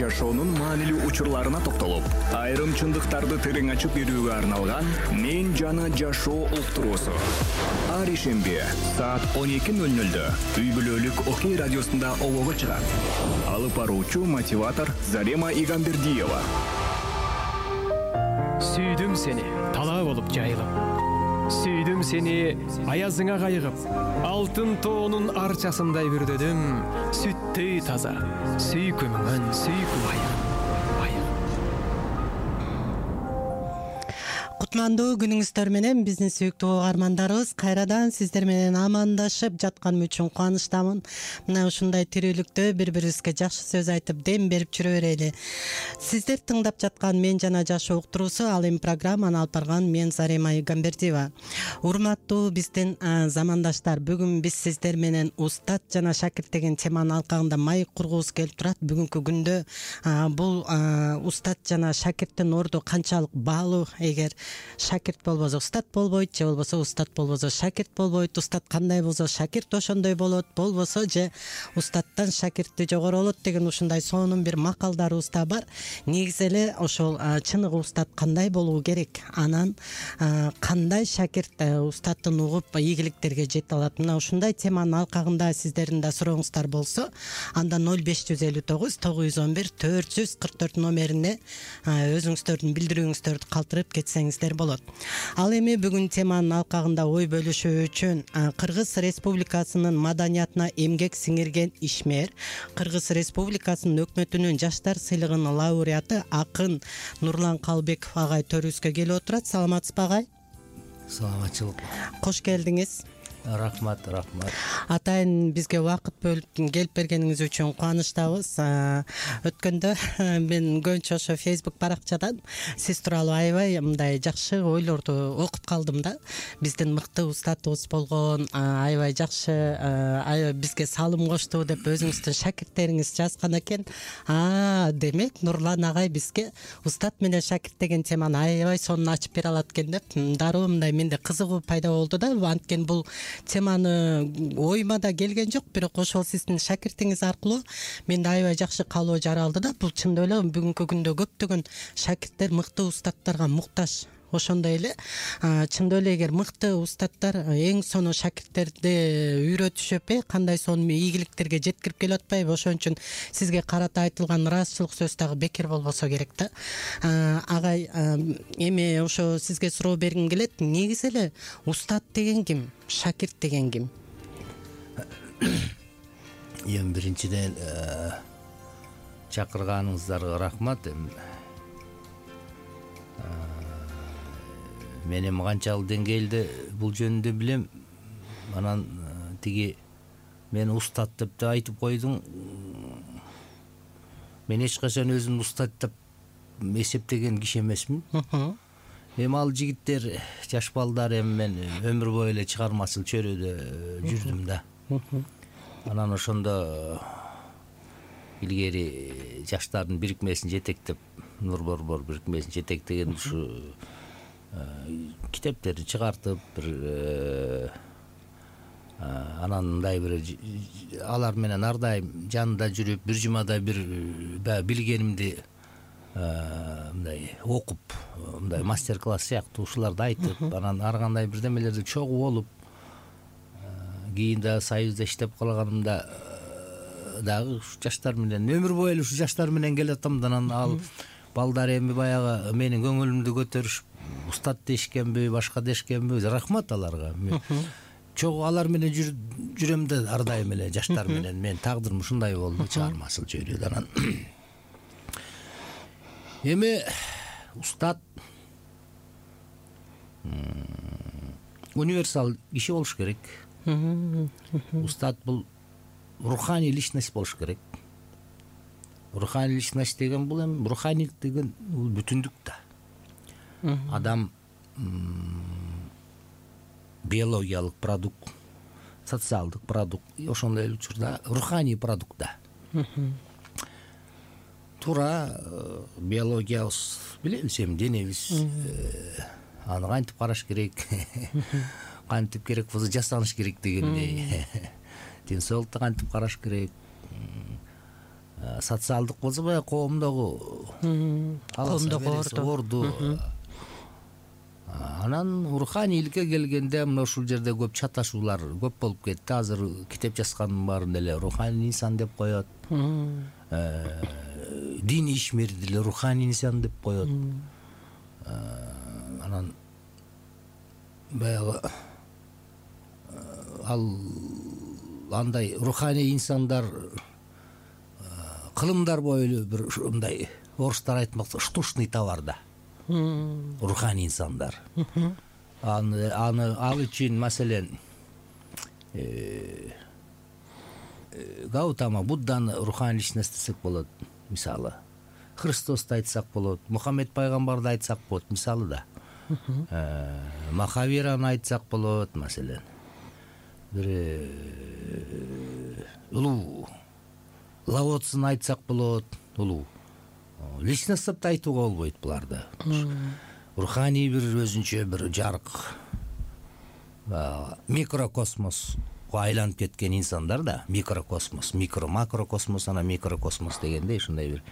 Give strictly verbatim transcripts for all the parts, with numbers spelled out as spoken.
жашоонун маанилүү учурларына токтолуп, айрым чындыктарды терең ачып берүүгө арналган «Мен жана жашоо» уктуруусу. Ар ишемби саат он эки ноль нольдө үй бүлөлүк Окей радиосунда обого чыгат. Алып баруучу мотиватор Зарема Игамбердиева. Сүйдүм сени талаа болуп жайылып. Сүйдүм сени аязыңа кайыгып. Алтын тоонун арчасындай бүрдөдүм. Сүттөй таза, сүйкүмүңөн сүйкүм айыгым. Кутмандуу күнүңүздөр менен биздин сүйүктүү угармандарыбыз, кайрадан сиздер менен амандашып жатканым үчүн кубанычтамын. Мына ушундай тирүүлүктө бири-бирибизге жакшы сөз айтып дем берип жүрө берели. Сиздер тыңдап жаткан «Мен жана жашоо» уктуруусу, ал эми программаны алып барган мен Зарема Игамбердиева. Урматтуу биздин замандаштар, бүгүн биз сиздер менен устат жана шакирт деген теманын алкагында маек кургубуз келип турат. Бүгүнкү күндө бул устат жана шакирттин орду канчалык баалуу? Эгер шакирт болбосо устат болбойт, же болбосо устат болбосо шакирт болбойт. Устат кандай болсо шакирт ошондой болот, болбосо же устаттан шакирти жогору болот деген ушундай сонун бир макалдарыбыз да бар. Негизи эле ошол чыныгы устат кандай болуу керек, анан кандай шакирт устаттын угуп ийгиликтерге жете алат. Мына ушундай теманын алкагында сиздердин да сурооңуздар болсо, анда ноль беш жүз элүү тогуз тогуз жүз он бир төрт жүз кырк төрт номерине өзүңүздөрдүн билдирүүңүздөрдү калтырып кетсеңиздер болот. Ал эми бүгүн теманын алкагында ой бөлүшүү үчүн Кыргыз Республикасынын маданиятына эмгек сиңирген ишмер, Кыргыз Республикасынын өкмөтүнүн жаштар сыйлыгынын лауреаты акын Нурлан Калбеков агай төрүбүзгө келип отурат. Саламатсызбы агай? Саламатчылык. Кош келдиңиз. Рахмат, рахмат. Атайын бизге убакыт бөлүп келип бергениңиз үчүн кубанычтабыз. Өткөндө мен көбүнчө ошо Facebook баракчадан сиз тууралуу аябай мындай жакшы ойлорду окуп калдым да. Биздин мыкты устатыбыз болгон, аябай жакшы, аябай бизге салым кошту деп өзүңүздүн шакирттериңиз жазган экен. А, демек Нурлан агай бизге устат менен шакирт деген теманы аябай сонун ачып бере алат экен деп дароо мындай менде кызыгуу пайда болду да. Анткени бул теманы оюма да келген жок, бирок ошол сиздин шакиртиңиз аркылуу менде аябай жакшы калоо жаралды да. Бул чындап эле бүгүнкү күндө көптөгөн шакирттер мыкты устаттарга муктаж. Ошондой эле чындап эле эгер мыкты устаттар эң сонун шакирттерди үйрөтүшөп, кандай сонун ийгиликтерге жеткирип келип атпайбы? Ошон үчүн сизге карата айтылган ыраазычылык сөз дагы бекер болбосо керек да. Агай, эми ошо сизге суроо бергим келет. Негизи эле устат деген ким? Шакирт деген ким? Эми биринчиден чакырганыңыздарга рахмат. Мен эми канчалык деңгээлде бул жөнүндө билем. Анан тиги мен устат деп да айтып койдуң. Мен эч качан өзүмдү устат деп эсептеген киши эмесмин. Эми ал жигиттер, жаш балдар, эми мен өмүр бою эле чыгармачыл чөйрөдө жүрдүм да. Анан ошондо илгери жаштардын бирикмесин жетектеп, Нур Борбор бирикмесин жетектеген ушу китептерди чыгартып, бир анан мындай бир алар менен ар дайым жанында жүрүп, бир жумада бир билгенимди мындай окуп, мындай мастер-класс сыяктуу ушуларды айтып, анан ар кандай бирдемелерди чогуу болуп, кийин да Союзда иштеп калганымда дагы ушу жаштар менен өмүр бою эле ушу жаштар менен келатам да. Анан ал балдар эми баягы менин көңүлүмдү көтөрүшүп, устат дешкенби, башка дешкенби, рахмат аларга. Чогуу алар менен жүрөм да, ар дайым эле жаштар менен. Мен тагдырым ушундай болду, чыгармачыл чөйрөдө. Анан эми устат универсал киши болуш керек. Устат бул руханий личность болуш керек. Руханий личность деген бул эми руханийлик деген бул бүтүндүк да. Адам биологиялык продукт, социалдык продукт, ошондой эле учурда руханий продукт да. Туура биологиябыз билебиз, эми денебиз аны кантип караш керек, кантип керек болсо жасаныш керек дегендей. Ден соолукту кантип караш керек, социалдык болсо баягы коомдогу коомдогу орду. Анан руханийликке келгенде мына ушул жерде көп чаташуулар көп болуп кетти. Азыр китеп жазгандын баарын деле руханий инсан деп коет. Диний ишмер деле руханий инсан деп коет. Анан баягы ал андай руханий инсандар кылымдар бойлуу бир ушундай орустар айтмакчы штучный товар да. Руханий инсандар. Аны аны ал үчүн маселен Гаутама Будданы руханий личность десек болот, мисалы. Христосту айтсак болот, Мухаммед пайгамбарды айтсак болот, мисалы да. Махавираны айтсак болот, маселен. Бир улуу Лао Цзыны айтсак болот, улуу. Личность деп айтууга болбойт буларды. Руханий бир өзүнчө бир жарык микрокосмоско айланып кеткен инсандар да. Микрокосмос, микро макрокосмос, ана микрокосмос дегенде ушундай бир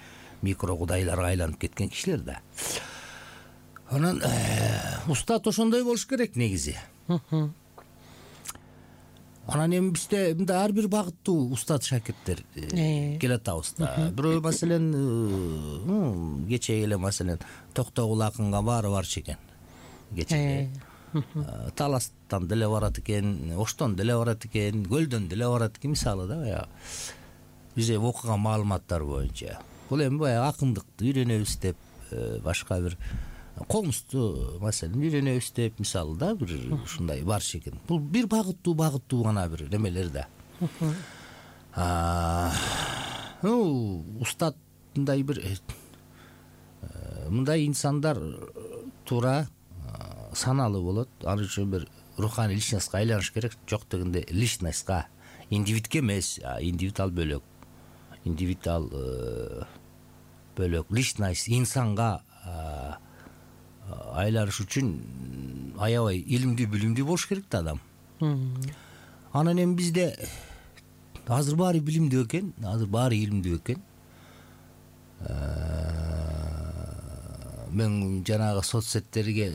микро кудайларга айланып кеткен кишилер да. Анан устат ошондой болуш керек негизи. Анан эми бизде мындай ар бир багыттуу устат шакирттер келатабыз да. Бирөө маселен кече эле маселен Токтогул акынга баары барчу экен. Кече Таластан деле барат экен, Оштон деле барат экен, Көлдөн деле барат экен, мисалы да баягы. Бизде окуган маалыматтар боюнча. Бул эми баягы акындыкты үйрөнөбүз деп, башка бир комузду маселен үйрөнөбүз деп, мисалы да бир ушундай барчу экен. Бул бир багыттуу багыттуу гана бир немелер да. Ну, устат мындай бир мындай инсандар туура саналуу болот. Аны үчүн бир руханий личностька айланыш керек. Жок дегенде личностька, индивидке эмес, индивид ал бөлөк. Индивид ал бөлөк. Личность инсанга айланыш үчүн аябай илимдүү, билимдүү болуш керек да адам. Анан эми бизде азыр баары билимдүү экен, азыр баары илимдүү экен. Мен жанагы соцсеттерге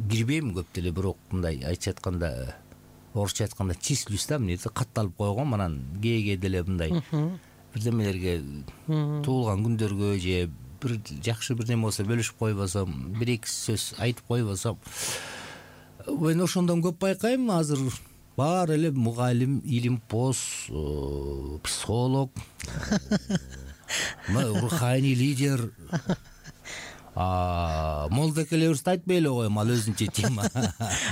кирбейм көп деле, бирок мындай айтып айтканда, орусча айтканда числюсь да, эмне катталып койгом, анан кээ-кээ деле мындай бирдемелерге туулган күндөргө же бир жакшы бир неме болсо бөлүшүп койбосом, бир эки сөз айтып койбосом, мен ошондон көп байкайм. Азыр баары эле мугалим, илимпоз, психолог, руханий лидер, молдекелерибизди айтпай эле коем, ал өзүнчө тема.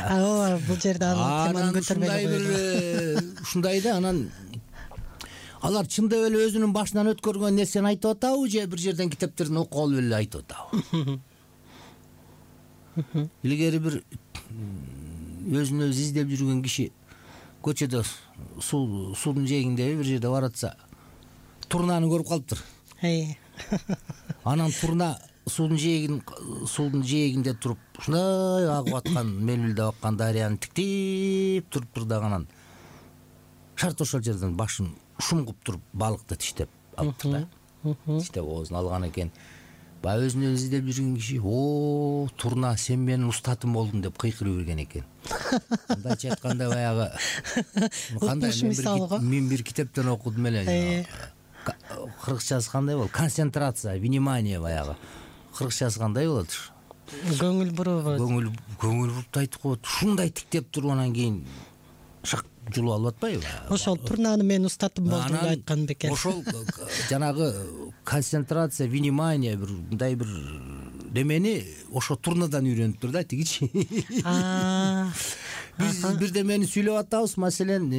Ооба, бул жерде анын теманы көтөрбөй эле. Ушундай да, анан алар чындап эле өзүнүн башынан өткөргөн нерсени айтып атабы же бир жерден китептерден окуп алып эле айтып атабы? Илгери бир өзүн өзү издеп жүргөн киши көчөдө суудун жээгинде бир жерде баратса, турнаны көрүп калыптыр. Анан турна суудун жээгин суудун жээгинде туруп ушундай агып аткан, мелмилдеп аккан дарыяны тиктеп туруптур да, анан шарт ошол жерден башын шумгуп туруп балыкты тиштеп алыптыр да. Тиштеп оозун алган экен. Баягы өзүн өзү издеп жүргөн киши, о, турна, сен менин устатым болдуң деп кыйкырып жүргөн экен. Мындайча айтканда баягы кандай мен бир китептен окудум эле. Кыргызчасы кандай болот? Концентрация, внимание баягы. Кыргызчасы кандай болот? Көңүл буруу. Көңүл көңүл буруп айтып коет. Ушундай тиктеп туруп анан кийин шак жулуп алып атпайбы? Ошол турнаны мен устатым болдум деп айткан бекен. Ошол жанагы концентрация, внимание бир мындай бир демени ошо турнадан үйрөнүптүр да тигичи. Биз бирдемени сүйлөп атабыз, маселен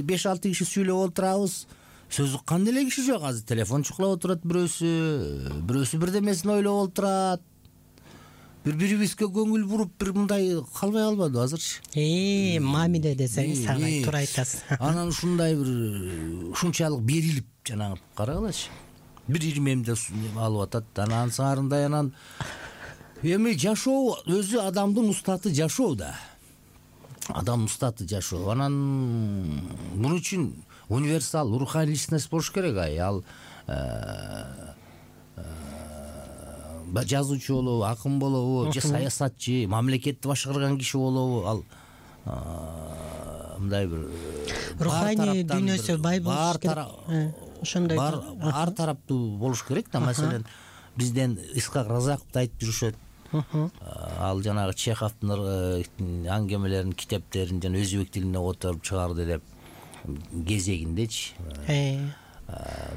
беш алты киши сүйлөп отурабыз. Сөз уккан деле киши жок. Азыр телефон чукулап отурат бирөөсү, бирөөсү бирдемесин ойлоп отурат. Бири-бирибизге көңүл буруп бир мындай калбай калбады азырчы. Э, мамиле десең, сагай туура айтасыз. Анан ушундай бир ушунчалык берилип жанагы карагылачы. Бир ирмемде алып атат, анан саарындай анан эми жашоо өзү адамдын устаты жашоо да. Адам устаты жашоо. Анан муну үчүн универсал руханий личность болуш керек. Ай ал жазуучу болобу, акын болобу, же саясатчы, мамлекетти башкарган киши болобу, ал мындай бир руханий дүйнөсү бай болуш керек. Ошондой ар тараптуу болуш керек да. Маселен, бизден Исхак Разаковду айтып жүрүшөт. Ал жанагы Чеховдун аңгемелерин, китептерин жана өзбек тилине которуп чыгарды деп кезегиндечи.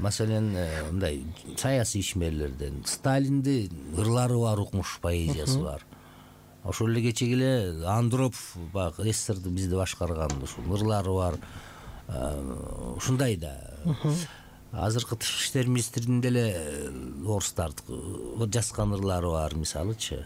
Маселен, мындай саясий ишмерлерден Сталинди ырлары бар, укмуш поэзиясы бар. Ошол эле кечеги эле Андропов баягы СССРди бизди башкарган ушул ырлары бар. Ушундай да. Азыркы тышкы иштер министринин деле орустардыкы жазган ырлары бар, мисалычы.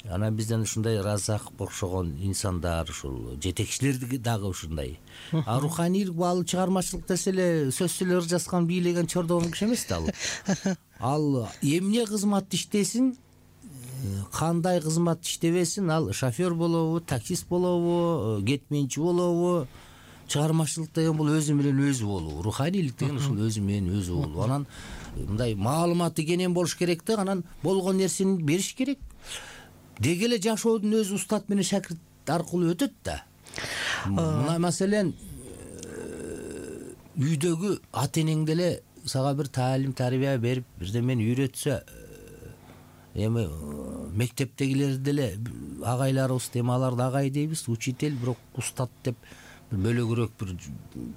Анан бизден ушундай Разаков окшогон инсандар, ушул жетекчилер дагы ушундай. А руханийлик баалы чыгармачылык десе эле сөзсүз эле ыр жазган, бийлеген чордогон киши эмес да ал. Ал эмне кызмат иштесин, кандай кызмат иштебесин, ал шофер болобу, таксист болобу, кетменчи болобу, чыгармачылык деген бул өзү менен өзү болуу. Руханийлик деген ушул өзү менен өзү болуу. Анан мындай маалыматы кенен болуш керек да, анан болгон нерсени бериш керек. Деги эле жашоодун өзү устат менен шакирт аркылуу өтөт да. Мына маселен, үйдөгү ата энең деле сага бир таалим, тарбия берип, бирдемени үйрөтсө, эми мектептегилер деле агайларыбыз, эми аларды агай дейбиз, учитель, бирок устат деп бөлөгүрөөк бир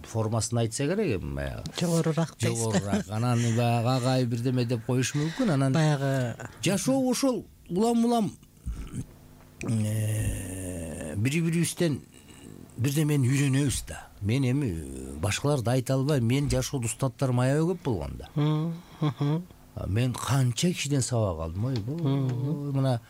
формасын айтса керек, эми баягы жогорураак дейсиз. Жогорураак. Анан баягы агай бирдеме деп коюш мүмкүн. Анан баягы жашоо ошол улам-улам бири-бирибизден бирдемени үйрөнөбүз да. Мен эми башкаларды айта албайм. Мен жашоодо устаттарым аябай көп болгон да. Мен канча кишиден сабак алдым. Ой, мына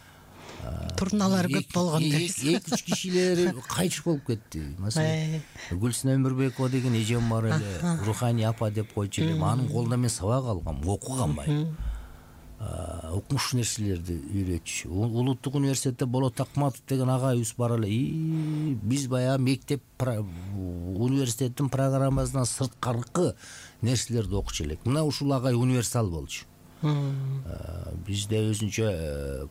турналар көп болгон дейсиз. эки-үч кишилери кайтыш болуп кетти. Маселен, Гүлсүнө Өмүрбекова деген эжем бар эле, руханий апа деп койчу элем. Анын колунан мен сабак алгам, окугам бай. Укмуш нерселерди үйрөтчү. Улуттук университетте Болот Акматов деген агайыбыз бар эле. Биз баягы мектеп университеттин программасынан сырткаркы нерселерди окучу элек. Мына ушул агай универсал болчу. Бизде өзүнчө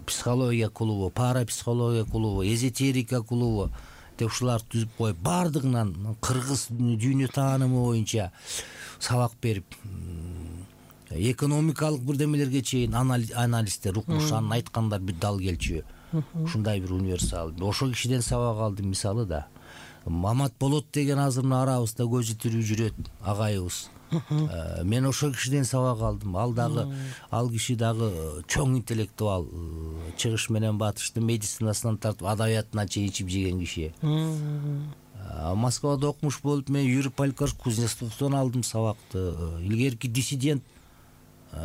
психология клубу, парапсихология клубу, эзотерика клубу деп ушуларды түзүп коюп, бардыгынан кыргыз дүйнө таанымы боюнча сабак берип, экономикалык бирдемелерге чейин анализдер, укмуш, анын айткандар бир дал келчү. Ушундай бир универсал. Ошол кишиден сабак алдым, мисалы да. Мамат Болот деген азыр мына арабызда көзү тирүү жүрөт агайыбыз. Мен ошол кишиден сабак алдым. Ал дагы, ал киши дагы чоң интеллектуал, чыгыш менен батыштын медицинасынан тартып адабиятына чейин ичип жеген киши. Москвада окумуш болуп, мен Юрий Палькаш Кузнецовдон алдым сабакты. Илгерки диссидент,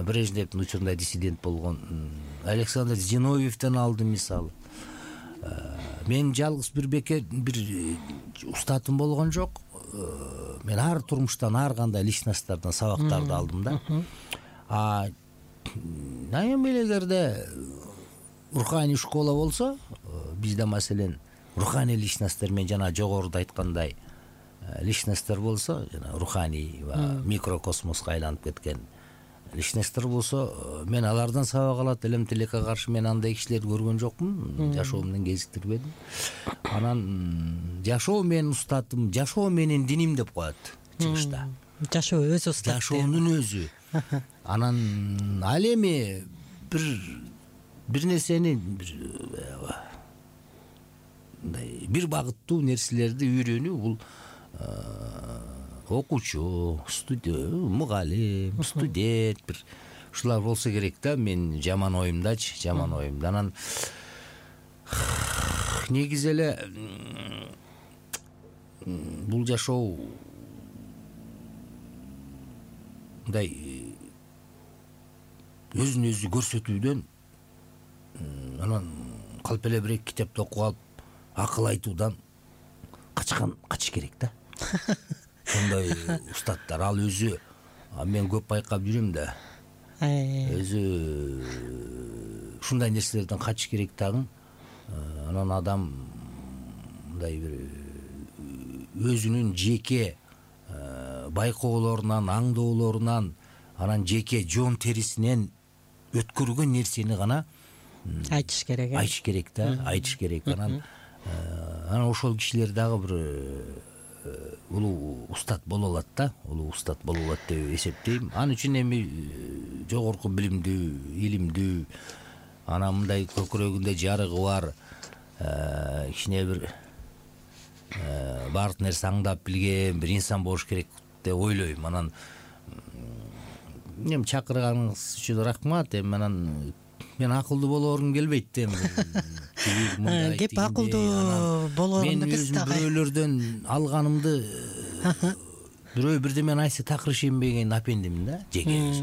Брежневдин учурунда диссидент болгон Александр Зиновьевден алдым, мисалы. Мен жалгыз бир бекер бир устатым болгон жок. Мен ар турмуштан, ар кандай личносттордон сабактарды алдым да. А эми эгерде руханий школа болсо, бизде маселен руханий личносттор, мен жана жогоруда айткандай личносттор болсо, жана руханий ва микрокосмоско айланып кеткен личносттор болсо, мен алардан сабак алат элем. Тилекке каршы мен андай кишилерди көргөн жокмун, жашоо менен кезиктирбедим. Анан жашоо менин устатым, жашоо менин диним деп коет чыгышта. Жашоо өзү устат. Жашоонун өзү. Анан ал эми бир бир нерсени бир бир багыттуу нерселерди үйрөнүү, бул окуучу, студент, мугалим, студент бир ушулар болсо керек да. Мен жаман оюмдачы, жаман оюмда. Анан негизи эле бул жашоо мындай өзүн өзү көрсөтүүдөн, анан калп эле бир китепти окуп алып акыл айтуудан качкан качыш керек да. Сондай устаттар, ал өзү, мен көп байкап жүрөм да, өзү ушундай нерселерден качыш керек дагы. Анан адам мындай бир өзүнүн жеке байкоолорунан, аңдоолорунан, анан жеке жон терисинен өткөргөн нерсени гана айтыш керек э айтыш керек да, айтыш керек. Анан анан ошол кишилер дагы бир улуу устат боло алат да, улуу устат боло алат деп эсептейм. Ал үчүн эми жогорку билимдүү, илимдүү, анан мындай көкүрөгүндө жарыгы бар, кичине бир баардык нерсе аңдап билген бир инсан болуш керек деп ойлойм. Анан эми чакырганыңыз үчүн рахмат. Эми анан мен акылдуу болоорум келбейт эми. Кеп акылдуу болоорун биз дагы бирөөлөрдөн алганымды бирөө бирдемени айтса такыр ишенбеген апендимин да, жеке.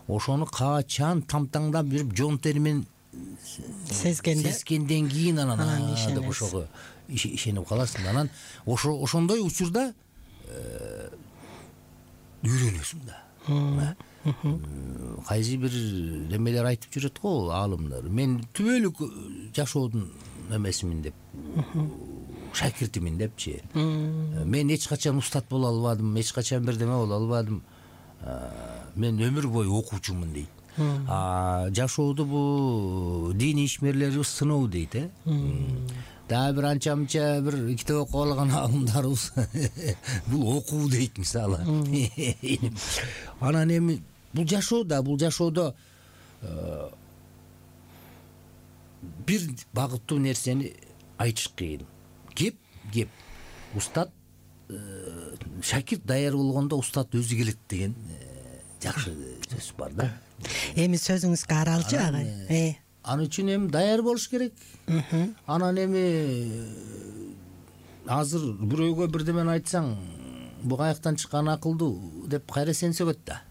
Ошону качан тамтаңдап жүрүп жон термен сезгенде сезгенден кийин анан деп ошого ишенип каласың. Анан ошо ошондой учурда үйрөнөсүң да. Кайсы бир немелер айтып жүрөт го аалымдар. Мен түбөлүк жашоодун эмесимин деп, шакиртимин депчи. Мен эч качан устат боло албадым, эч качан бирдеме боло албадым. Мен өмүр бою окуучумун дейт. А жашоодо бул диний ишмерлери сыноо дейт, э. Дагы бир анча мынча бир китеп окуп алган аалымдарыбыз бул окуу дейт мисалы. Анан эми бул жашоодо, бул жашоодо бир багыттуу нерсени айтыш кыйын. Кеп, кеп. Устат шакирт даяр болгондо устат өзү келет деген жакшы сөз бар да. Эми сөзүңүзгө аралчы агай. Аны үчүн эми даяр болуш керек. Анан эми азыр бирөөгө бирдемени айтсаң, бу каяктан чыккан акылдуу деп кайра сен сөгөт да.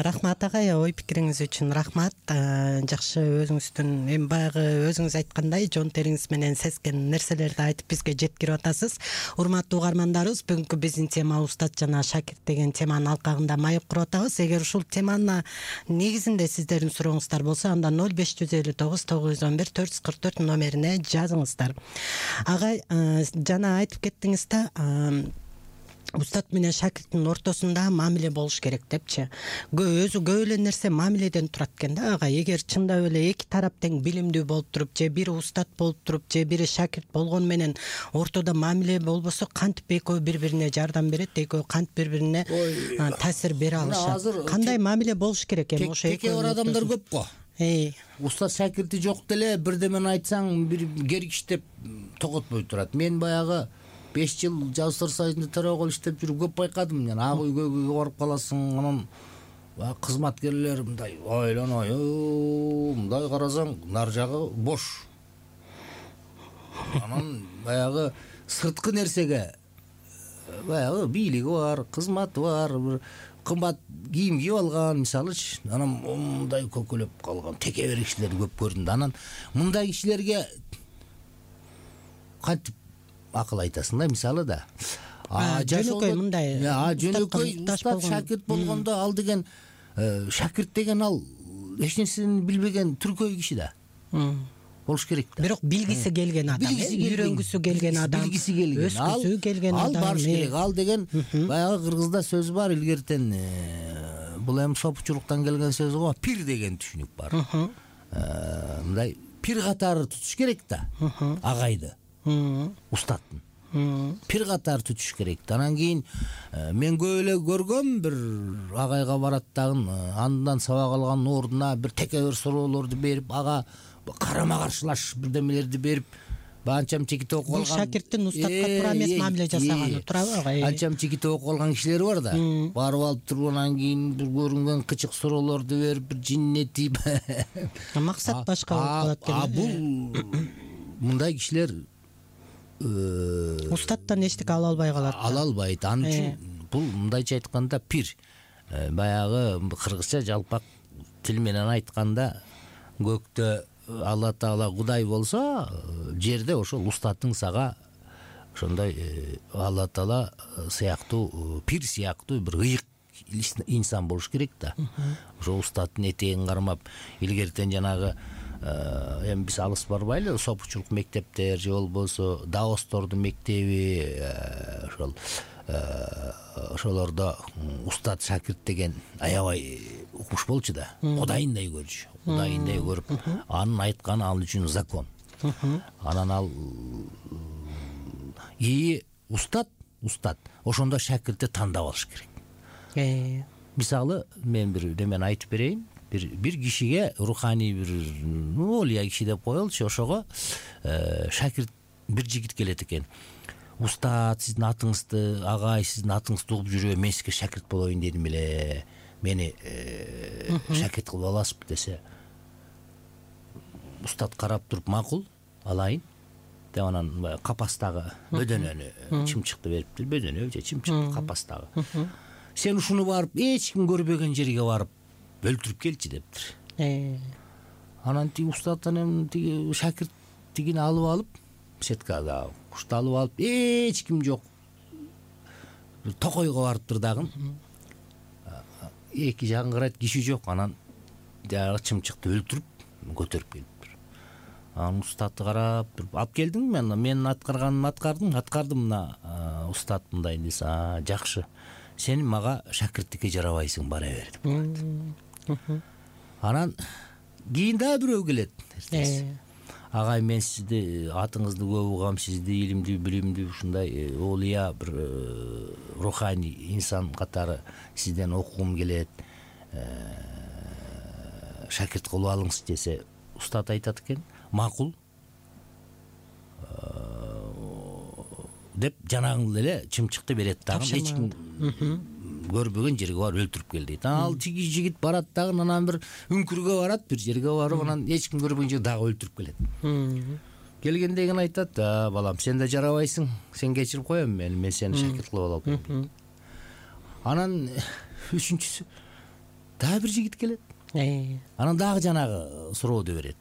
Рахмат агай, ой пикириңиз үчүн рахмат. Жакшы өзүңүздүн эми баягы өзүңүз айткандай жон териңиз менен сезген нерселерди айтып бизге жеткирип атасыз. Урматтуу угармандарыбыз, бүгүнкү биздин тема устат жана шакирт деген теманын алкагында маек куруп атабыз. Эгер ушул теманы негизинде сиздердин сурооңуздар болсо, анда ноль беш жүз элүү тогуз тогуз жүз он бир төрт жүз кырк төрт номерине жазыңыздар. Агай, жана айтып кеттиңиз да, устат менен шакирттин ортосунда мамиле болуш керек депчи. Өзү көп эле нерсе мамиледен турат экен да ага. Эгер чындап эле эки тарап тең билимдүү болуп туруп, же бири устат болуп туруп, же бири шакирт болгон менен ортодо мамиле болбосо, кантип экөө бири-бирине жардам берет, экөө кантип бири-бирине таасир бере алышат. Кандай мамиле болуш керек эми ошо экөө бар адамдар көп го. Устат шакирти жок деле бирдемени айтсаң бир кергич деп тоготпой турат. Мен баягы беш жыл Жастар союзунда төрөгөл иштеп жүрүп көп байкадым. Ак үйгө барып каласың, анан кызматкерлер мындай ойлоной, мындай карасаң нар жагы бош. Анан баягы сырткы нерсеге баягы бийлиги бар, кызматы бар, бир кымбат кийим кийип алган, мисалычы, анан мындай көкөлөп калган текебер кишилер көп көрүндү. Анан мындай кишилерге кантип акыл айтасың да, мисалы да. Жөнөкөй мындай. Жөнөкөй устат шакирт болгондо ал деген шакирт деген ал эч нерсени билбеген түркөй киши да. Болуш керек да. Бирок билгиси келген адам, үйрөнгүсү келген адам, билгиси келген, өскүсү келген адам. Ал барыш керек. Ал деген баягы кыргызда сөз бар, илгертен бул эми сопучулуктан келген сөз го, пир деген түшүнүк бар. Мындай пир катары тутуш керек да агайды. Устаттын пир катар tutуш керек. Анан кийин мен көп эле көргөм, бир агайга барат дагы андан сабак алган ордуна бир текебер суроолорду берип, ага карама каршылаш бирдемелерди берип, анчам чекит окуп алган. Бул шакирттин устатка туура эмес мамиле жасаганы туурабы агай? Анчам чекит окуп алган кишилер бар да. Барып алып туруп анан кийин бир көрүнгөн кычык суроолорду берип, бир жиннетип. Максат башка болуп калат экен. А бул мындай кишилер устаттан эчтеке ала албай калат. Ала албайт. Ал үчүн бул мындайча айтканда пир. Баягы кыргызча жалпак тил менен айтканда көктө Алла Таала Кудай болсо, жерде ошол устатың сага ошондой Алла Таала сыяктуу, пир сыяктуу бир ыйык инсан болуш керек да. Ошо устаттын этегин кармап, илгертен жанагы эми биз алыс барбайлы, сопучулук мектептер же болбосо даостордун мектеби, ошол ошолордо устат шакирт деген аябай укмуш болчу да, кудайындай көрчү, кудайындай көрүп, анын айтканы ал үчүн закон. Анан ал ии устат, устат, ошондо шакиртти тандап алыш керек. Мисалы, мен бир немени айтып берейин. Бир бир кишиге руханий бир олия киши деп коелучу, ошого шакирт бир жигит келет экен. Устат, сиздин атыңызды, агай сиздин атыңызды угуп жүрөм, мен сизге шакирт болоюн дедим эле. Мени шакирт кылып аласызбы десе, устат карап туруп, макул, алайын деп анан капастагы бөдөнөнү, чымчыкты бериптир, бөдөнө же чымчык капастагы. Сен ушуну барып, эч ким көрбөгөн жерге барып өлтүрүп келчи дептир. Анан тиги устаттан эми тиги шакирт тигини алып алып, сеткада кушту алып алып, эч ким жок, токойго барыптыр дагы. Эки жагын карайт, киши жок. Анан жагы чымчыкты өлтүрүп көтөрүп келиптир. Анан устатты карап туруп, алып келдиңби? Мен менин аткарганымды аткардым, аткардым. Мына устат мындай десе, а жакшы. Сен мага шакирттикке жарабайсың, бара бер деп. Анан кийин дагы бирөө келет. Агай, мен сизди, атыңызды көп угам, сизди илимдүү, билимдүү, ушундай олия бир руханий инсан катары сизден окугум келет. Шакирт кылып алыңыз десе, устат айтат экен, макул деп жанагы эле чымчыкты берет дагы. Эч ким көрбөгөн жерге барып өлтүрүп кел дейт. Ал тиги жигит барат дагы, анан бир үңкүргө барат, бир жерге барып, анан эч ким көрбөгөн жерге дагы өлтүрүп келет. Келгенден кийин айтат, а балам, сен да жарабайсың, сен кечирип коем мени, мен сени шакирт кылып алам. Анан үчүнчүсү дагы бир жигит келет. Анан дагы жанагы сурооду берет,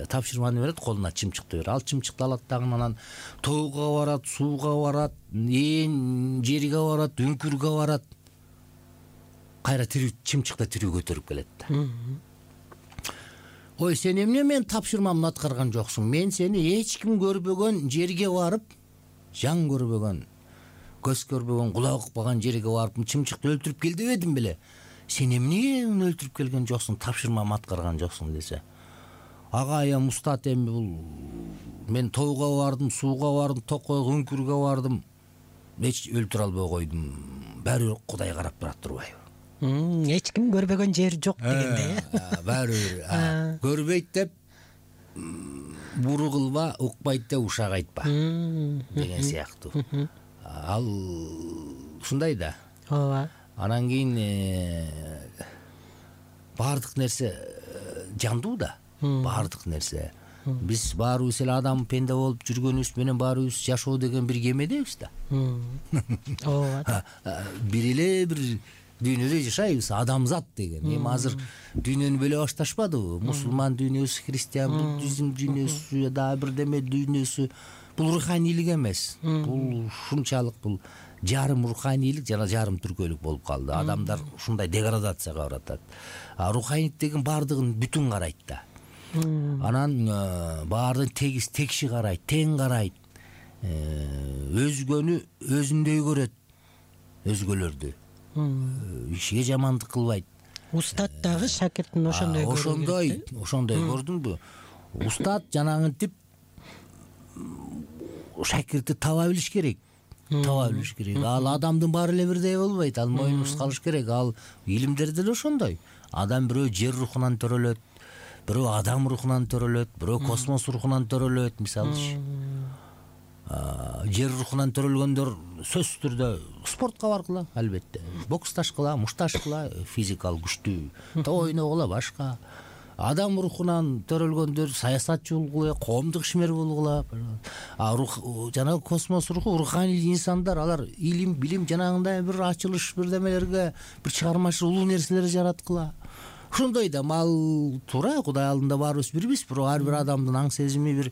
тапшырманы берет, колуна чымчыкты берет. Ал чымчыкты алат дагы, анан тоого барат, сууга барат, ээн жерге барат, үңкүргө барат. Кайра тирүү чымчыкта тирүү көтөрүп келет. Ой, сен эмне менин тапшырмамды аткарган жоксуң? Мен сени эч ким көрбөгөн жерге барып, жан көрбөгөн, көз көрбөгөн, кулак укпаган жерге барып чымчыкты өлтүрүп кел дебедим беле? Сен эмне уну өлтүрүп келген жоксуң, тапшырмамды аткарган жоксуң десе. Агай, эми устат, эми бул мен тоого бардым, сууга бардым, токойго, үңкүргө бардым, эч өлтүрө албай койдум. Баары бир Кудай карап турат турбайбы? Эч ким көрбөгөн жер жок дегенде. Баары бир көрбөйт деп буру кылба, укпайт деп ушак айтпа деген сыяктуу. Ал ушундай да. Ооба. Анан кийин баардык нерсе жандуу да. Баардык нерсе. Биз баарыбыз эле адам пенде болуп жүргөнүбүз менен баарыбыз жашоо деген бир кемедебиз да. Ооба. Бир эле бир дүйнөдө жашайбыз, адамзат деген. Эми азыр дүйнөнү бөлө башташпадыбы? Мусулман дүйнөсү, христиан, буддизм дүйнөсү, дагы бирдеме дүйнөсү. Бул руханийлик эмес. Бул ушунчалык бул жарым руханийлик жана жарым түркөлүк болуп калды. Адамдар ушундай деградацияга баратат. А руханийлик деген баардыгын бүтүн карайт да. Анан баардыгын тегиз текши карайт, тең карайт. Өзгөнү өзүндөй көрөт. Өзгөлөрдү. Кишиге жамандык кылбайт. Устат дагы шакиртин ошондой көрүп. Ошондой, ошондой көрдүңбү? Устат жанагынтип шакирти таба билиш керек. Таба билиш керек. Ал адамдын баары эле бирдей болбойт. Ал моюнубуз калыш керек. Ал илимдер деле ошондой. Адам бирөө жер рухунан төрөлөт, бирөө адам рухунан төрөлөт, бирөө космос рухунан төрөлөт, мисалычы. Жер рухунан төрөлгөндөр сөзсүз түрдө спортко баргыла, албетте. Боксташкыла, мушташкыла, физикалык күчтүү ойногула, башка. Адам рухунан төрөлгөндөр саясатчы болгула, коомдук ишмер болгула. А рух жанагы космос руху, руханий инсандар, алар илим, билим жанагындай бир ачылыш бирдемелерге, бир чыгармачыл улуу нерселер жараткыла. Ошондой да мал туура, Кудай алдында баарыбыз бирбиз, бирок ар бир адамдын аң сезими бир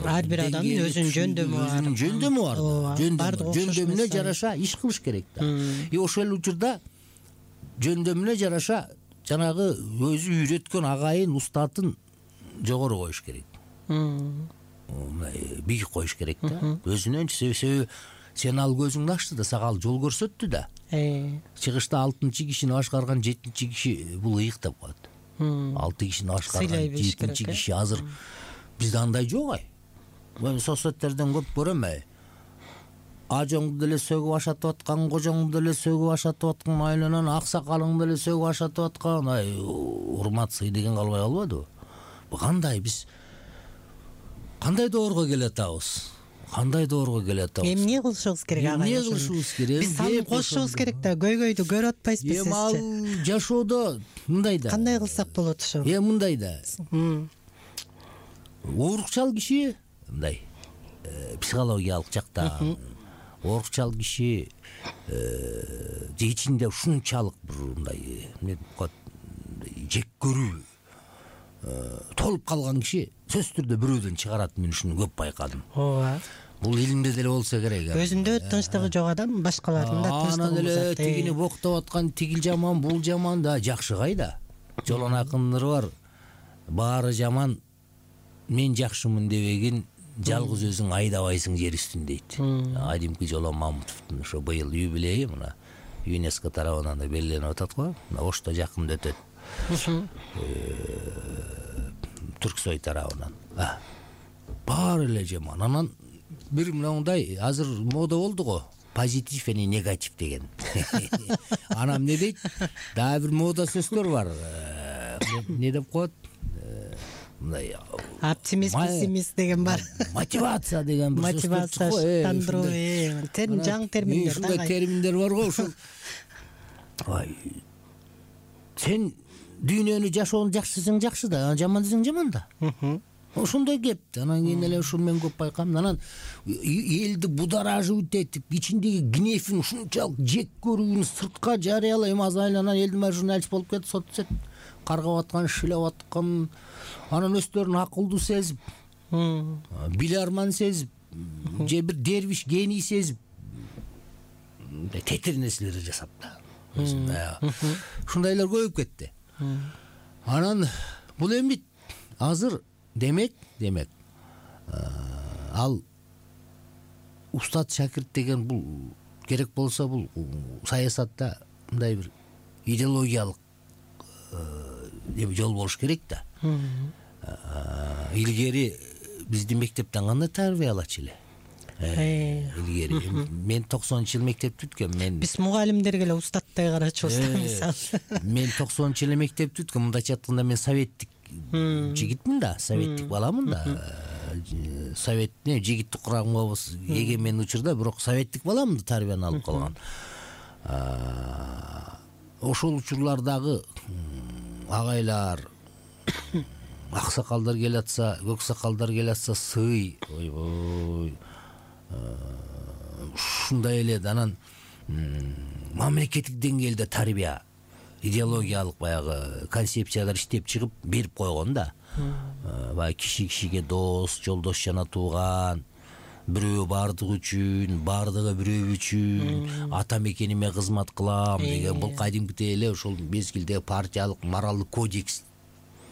ар бир адамдын өзүнүн жөндөмү бар. Өзүнүн жөндөмү бар. Жөндөмүнө жараша иш кылыш керек да. И ошол учурда жөндөмүнө жараша жанагы өзү үйрөткөн агайын, устатын жогору коюш керек, мындай бийик коюш керек да. Өзүнөнчү себеби сен ал көзүңдү ачты да, сага ал жол көрсөттү да. Чыгышта алтынчы кишини башкарган жетинчи киши бул ыйык деп коет. Алты кишини башкарган жетинчи киши азыр бизде андай жок. Ай мен соцсеттерден көп көрөм. Ай ажоңду деле сөгүп ашатып аткан, кожоңду деле сөгүп ашатып аткан, айланан аксакалыңды деле сөгүп ашатып аткан. Ай урмат сый деген калбай калбадыбы? Бу кандай, биз кандай доорго келатабыз? Кандай доорго келатабыз? Эмне кылышыбыз керек ага? Эмне кылышыбыз керек? Биз салып кошушубуз керек да, көйгөйдү көрүп атпайсызбы сизчи? Эми ал жашоодо мындай да. Кандай кылсак болот ошо? Э мындай да. Оорукчал киши мындай психологиялык жактан оорукчал киши же ичинде ушунчалык бир мындай эмне деп коет, жек көрүү толуп калган киши сөзсүз түрдө бирөөдөн чыгарат. Мен ушуну көп байкадым. Ооба. Бул илимде деле болсо керек. Өзүндө тынчтыгы жок адам башкалардын да тынчтыгын анан эле бузат. тигини боктоп аткан, тигил жаман, бул жаман да, жакшы кайда? Жолон акындары бар. Баары жаман, мен жакшымын дебегин, жалгыз өзүң айдабайсың жер үстүн дейт. Адимки Жолон Мамутовдун ошо быйыл юбилейи мына ЮНЕСКО тарабынан да белгиленип атат го. Мына Ошто жакында өтөт. Түрксой тарабынан. Баары эле жаман. Анан бир мындай азыр мода болду го. Позитив и негатив деген. Анан эмне дейт? Дагы бир мода сөздөр бар. Не деп коет? Мындай оптимист, пессимист деген бар. Мотивация деген бир сөз. Мотивация, тандыруу, термин, жаңы терминдер. Ушундай терминдер бар го. Ушул ай сен дүйнөнү жашоону жакшы десең жакшы да, жаман десең жаман да. Ошондой кеп. Анан кийин эле ушуну мен көп байкам. Анан элди бударажып этип, ичиндеги гневин ушунчалык жек көрүүнү сыртка жарыялай, эми азыр айланан элдин баары журналист болуп кетти, сот каргап аткан, шилеп аткан. Анан өздөрүн акылдуу сезип, биларман сезип, же бир дервиш гений сезип, тетир нерселерди жасап да. Ушундайлар көбөйүп кетти. Анан бул эми азыр демек, демек ал устат шакирт деген бул керек болсо бул саясатта мындай бир идеологиялык жол болуш керек да. Илгери бизди мектептен кандай тарбия алачу эле? Илгери мен токсонунчу жылы мектепти бүткөм. Мен биз мугалимдерге эле устаттай карачубуз да мисалы. Мен токсонунчу жылы мектепти бүткөм. Мындайча айтканда мен советтик жигитмин да, советтик баламын да. Советтне жигиттик курамга эгемен учурда, бирок советтик баламын да, тарбияны алып калган. Ошол учурлардагы агайлар, аксакалдар келатса, көк сакалдар келатса сый, ойбой. Ушундай эле анан мамлекеттик деңгээлде тарбия, идеологиялык баягы концепциялар иштеп чыгып берип койгон да. Баягы киши кишиге дос, жолдош жана тууган, бирөө бардыгы үчүн, бардыгы бирөө үчүн, ата мекениме кызмат кылам деген бул кадимкидей эле ошол мезгилде партиялык моралдык кодекс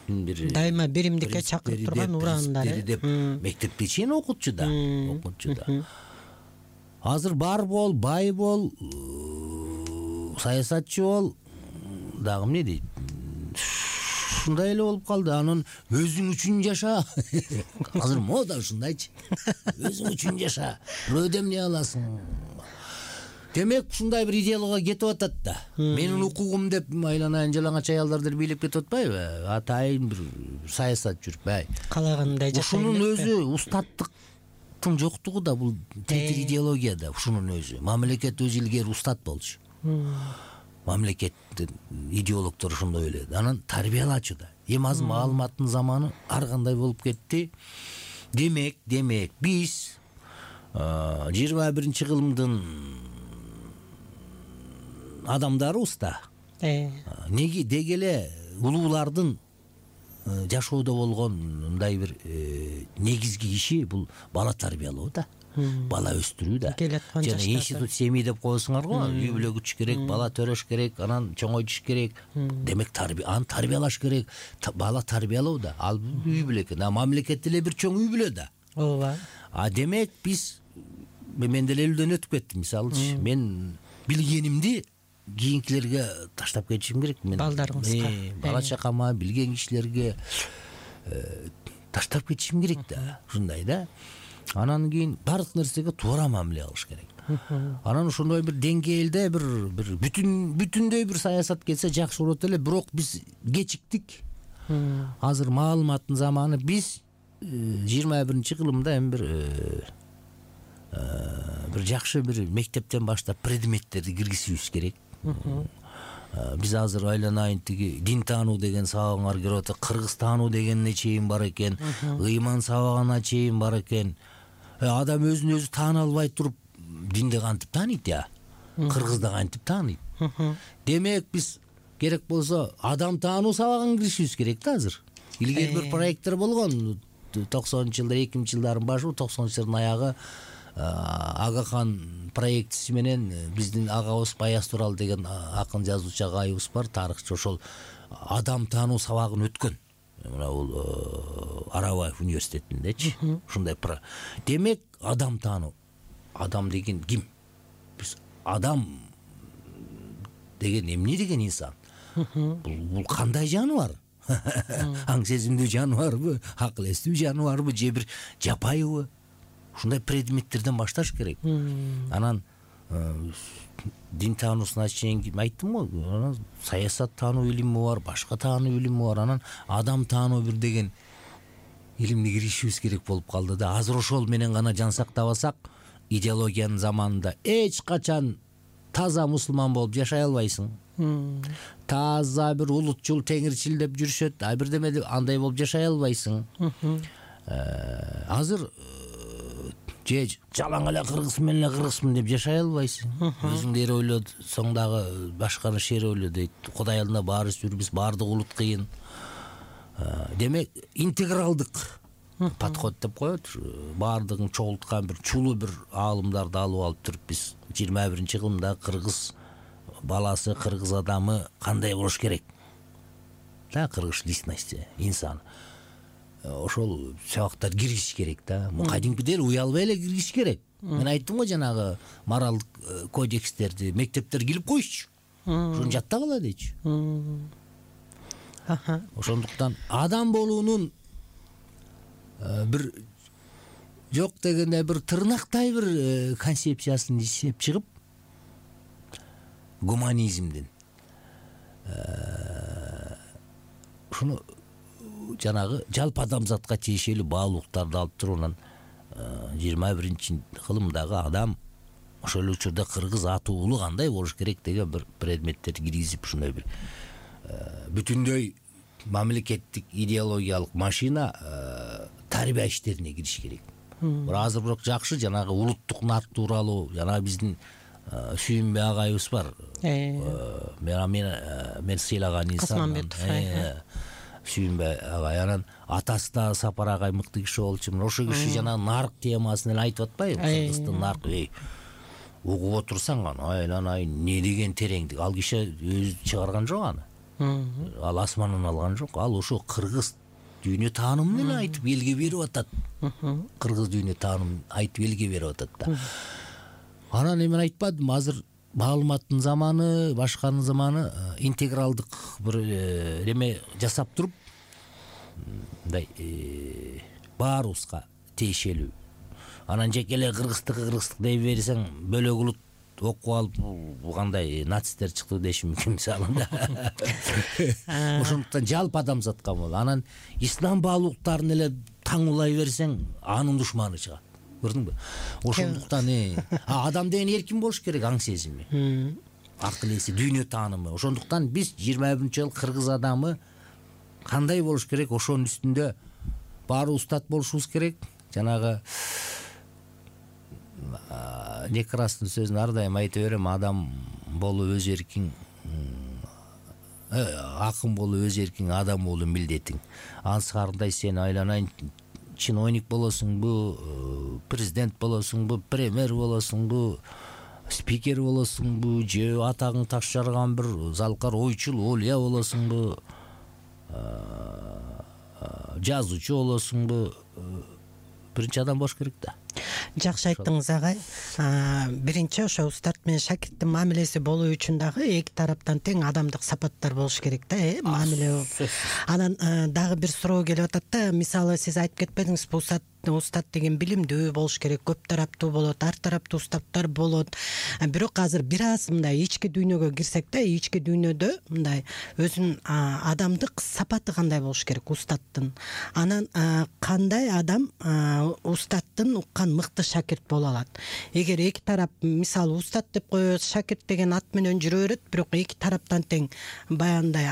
дайыма биримдикке чакырып турган ураандары деп мектепте чейин окутчу да, окутчу да. Азыр бар бол, бай бол, саясатчы бол, дагы эмне дейт? Ушундай эле болуп калды. Анан өзүң үчүн жаша. Азыр мода ушундайчы. Өзүң үчүн жаша. Бирөөдөн эмне аласың? Демек ушундай бир идеология кетип атат да. Менин укугум деп айланайын жалаңач аялдар деле бийлеп кетип атпайбы? Атайын бир саясат жүрүп, калагандай жашайын. Ушунун өзү устаттыктын жоктугу да бул тетир идеология да. Ушунун өзү мамлекет өзү илгери устат болчу. Мамлекеттин идеологдору ошондой эле. Анан тарбиялачу да. Эми азыр маалыматтын заманы ар кандай болуп кетти. Демек, демек биз жыйырма биринчи кылымдын адамдарыбыз да. Неге деги эле улуулардын жашоодо болгон мындай бир негизги иши бул бала тарбиялоо да. бала өстүрүү да. Келаткан жана жаштарда. институт семьи деп коесуңар го, үй бүлө күтүш керек, бала төрөш керек, анан чоңойтуш керек. Демек тарбия аны тарбиялаш керек. Та- бала тарбиялоо да, ал үй бүлө экен. А мамлекет деле бир чоң үй бүлө да. ооба. А демек биз мен деле элүүдөн өтүп кеттим, мисалы мен билгенимди кийинкилерге таштап кетишим керек. Мен Балдарыңызга. Э, бала чакама, билген кишилерге э, таштап кетишим керек да. Ушундай да. Анан кийин баардык нерсеге туура мамиле кылыш керек. Анан ошондой бир деңгээлде бир бир бүтүн бүтүндөй бир саясат кетсе жакшы болот эле, бирок биз кечиктик. Азыр маалыматтын заманы, биз жыйырма биринчи кылымда эми бир бир жакшы бир мектептен баштап предметтерди киргизишибиз керек. Биз азыр айланайын тиги дин таануу деген сабагыңар кирип атат, кыргыз таануу дегенине чейин бар экен, ыйман сабагына чейин бар экен. Адам өзүн өзү таана албай туруп динди кантип тааныйт я? Кыргызды кантип тааныйт? Демек биз керек болсо адам таануу сабагын киришибиз керек да азыр. Илгери бир проекттер болгон токсонунчу жылдар, эки миңинчи жылдардын башы, токсонунчу жылдардын аягы Агахан проектиси менен биздин агабыз Баяз Турал деген акын жазуучу агайыбыз бар, тарыхчы, ошол адам таануу сабагын өткөн. Мына бул Арабаев университетиндечи. Ушундай. Демек адам таануу. Адам деген ким? Биз адам деген эмне деген инсан? Бул кандай жаныбар? Аң сезимдүү жаныбарбы, акыл эстүү жаныбарбы, же бир жапайыбы? Ушундай предметтерден башташ керек. Анан дин таануусуна чейин айттым го, анан саясат таануу илими бар, башка таануу илими бар, анан адам таануу бир деген илимди киришибиз керек болуп калды да. Азыр ошол менен гана жан сактабасак, идеологиянын заманында эч качан таза мусулман болуп жашай албайсың. Таза бир улутчул, теңирчил деп жүрүшөт, а бирдеме деп андай болуп жашай албайсың. Азыр же жалаң эле кыргызмын эле кыргызмын деп жашай албайсың. Өзүңдү эр ойло, соң дагы башканы шер ойло дейт. Кудай алдында баарыбыз бирбиз, баардык улут кыйын. Демек интегралдык подход деп коет. Баардыгын чогулткан бир чулуу бир аалымдарды алып алып туруп биз жыйырма биринчи кылымда кыргыз баласы, кыргыз адамы кандай болуш керек? Да, кыргыз личности, инсан. Ошол сабактар киргизиш керек да. Кадимкидей эле уялбай эле киргизиш керек. Мен айттым го жанагы моралдык кодекстерди мектептер килип коюшчу. Ошону жаттап ала дейчи. Ошондуктан адам болуунун бир жок дегенде бир тырнактай бир концепциясын иштеп чыгып, гуманизмдин ушуну жанагы жалпы адамзатка тиешелүү баалуулуктарды алып туруп, анан жыйырма биринчи кылымдагы адам ошол эле учурда кыргыз аты уулу кандай болуш керек деген бир предметтерди киргизип, ушундай бир бүтүндөй мамлекеттик идеологиялык машина тарбия иштерине кириш керек. Бирок азыр бирок жакшы жанагы улуттук нарк тууралуу, жана биздин Сүйүнбай агайыбыз бар. Мен мен сыйлаган инсан. Сүйүнбай агай, анан атасы да Сапар агай мыкты киши болчу. Ошо киши жана нарк темасын эле айтып атпайбы? Кыргыздын нарк, эй, угуп отурсаң аны, айланай, не деген тереңдик. Ал киши өзү чыгарган жок аны. Ал асмандан алган жок. Ал ошо кыргыз дүйнө таанымын эле айтып элге берип атат. Кыргыз дүйнө таанымын айтып элге берип атат да. Анан эми айтпадым, азыр маалыматтын заманы, башканын заманы, интегралдык бир эме жасап туруп, мындай баарыбызга тиешелүү. Анан жеке эле кыргыздыкы кыргыздык дей берсең, бөлөк улут окуп алып, бул кандай нацисттер чыкты деши мүмкүн мисалында. Ошондуктан жалпы адамзатка болот. Анан ислам баалуулуктарын эле таңулай берсең, анын душманы чыгат. Көрдүңбү? Ошондуктан адам деген эркин болуш керек, аң сезими, акыл эси, дүйнө таанымы. Ошондуктан биз жыйырма биринчи жыл кыргыз адамы кандай болуш керек, ошонун үстүндө баары устат болушубуз керек. Жанагы Некрастын сөзүн ар дайым айта берем, адам болуу өз эркиң, акын болуу өз эркиң, адам болуу милдетиң. Ансы кандай сен айланайын чиновник болосуңбу, президент болосуңбу, премьер болосуңбу, спикер болосуңбу, же атагың таш жарган бир залкар ойчул олия болосуңбу, жазуучу болосуңбу, биринчи адам болуш керек да. Жакшы айттыңыз агай. Биринчи ошо устат менен шакирттин мамилеси болуу үчүн дагы эки тараптан тең адамдык сапаттар болуш керек да, э, мамиле. Анан дагы бир суроо келип атат да, мисалы сиз айтып кетпедиңиз, устат устат деген билимдүү болуш керек, көп тараптуу болот, ар тараптуу устаттар болот. Бирок азыр бир аз мындай ички дүйнөгө кирсек да, ички дүйнөдө мындай өзүнүн адамдык сапаты кандай болуш керек устаттын. Анан кандай адам устаттын уккан мыкты шакирт боло алат. Эгер эки тарап, мисалы устат деп коебуз, шакирт деген ат менен жүрө берет, бирок эки тараптан тең баягындай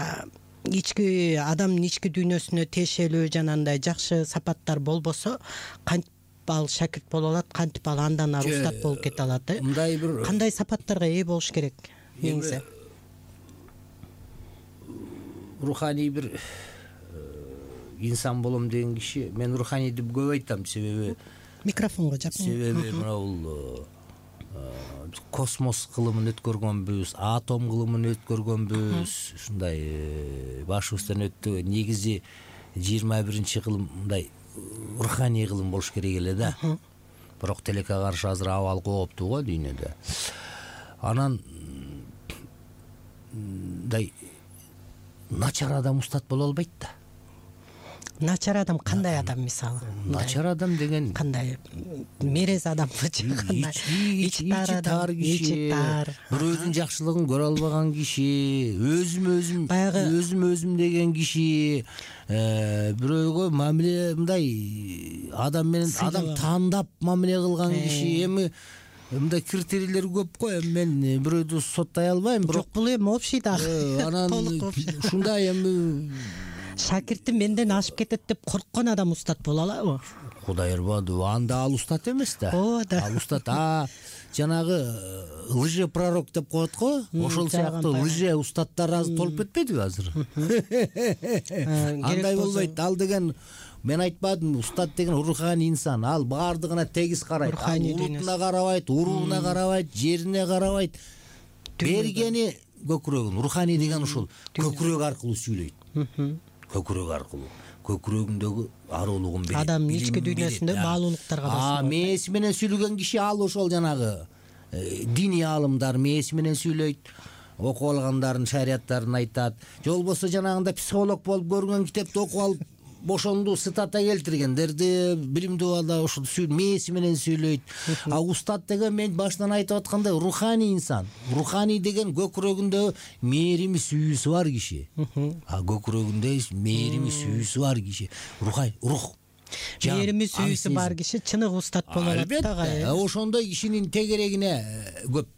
ички адамдын ички дүйнөсүнө тиешелүү жанагындай жакшы сапаттар болбосо, кантип ал шакирт боло алат, кантип ал андан ары устат болуп кете алат, э? Мындай бир кандай сапаттарга ээ болуш керек негизи? Руханий бир инсан болом деген киши, мен руханий деп көп айтам, себеби микрофонго жакын. Себеби мына бул космос кылымын өткөргөнбүз, атом кылымын өткөргөнбүз, ушундай башыбыздан өттү. Негизи жыйырма биринчи кылым мындай руханий кылым болуш керек эле да. Бирок телекке каршы азыр абал кооптуу го дүйнөдө. Анан мындай начар адам устат боло албайт да. Начар адам кандай адам мисалы? Начар адам деген кандай? Мерез адамбы же кандай? Ичи тар киши, бирөөдүн жакшылыгын көрө албаган киши, өзүм өзүм өзүм өзүм деген киши, бирөөгө мамиле мындай адам менен адам тандап мамиле кылган киши. Эми мындай критерийлер көп го. Эми мен бирөөдү соттой албайм, бирок жок, бул эми общий да. Анан ушундай эми шакирти менден ашып кетет деп корккон адам устат боло алабы? Кудай ырбаду, анда ал устат эмес да. Ооба да. Ал устат, а жанагы лже пророк деп коет го, ошол сыяктуу лже устаттар азыр толуп кетпедиби азыр? Андай болбойт. Ал деген, мен айтпадым, устат деген руханий инсан. Ал баардыгына тегиз карайт. Улутуна карабайт, урууна карабайт, жерине карабайт. Бергени көкүрөгүн. Руханий деген ушул көкүрөк аркылуу сүйлөйт. Көкүрөк аркылуу, көкүрөгүндөгү аруулугун берет. Адамдын ички дүйнөсүндө маалуулуктарга басат. А, мээси менен сүйлөгөн киши ал ошол жанагы диний аалымдар мээси менен сүйлөйт, окуп алгандарын, шарияттарын айтат. Же болбосо жанагында психолог болуп көргөн китепти окуп алып, ошондо цитата келтиргендерди билимдүү балдар ошол мээси менен сүйлөйт. А устат деген мен башынан айтып аткандай руханий инсан. Руханий деген көкүрөгүндө мээрими сүйүүсү бар киши. А көкүрөгүндө мээрими сүйүүсү бар киши. Рухай, рух. Мээрими сүйүүсү бар киши чыныгы устат боло алат да. Ошондой кишинин тегерегине көп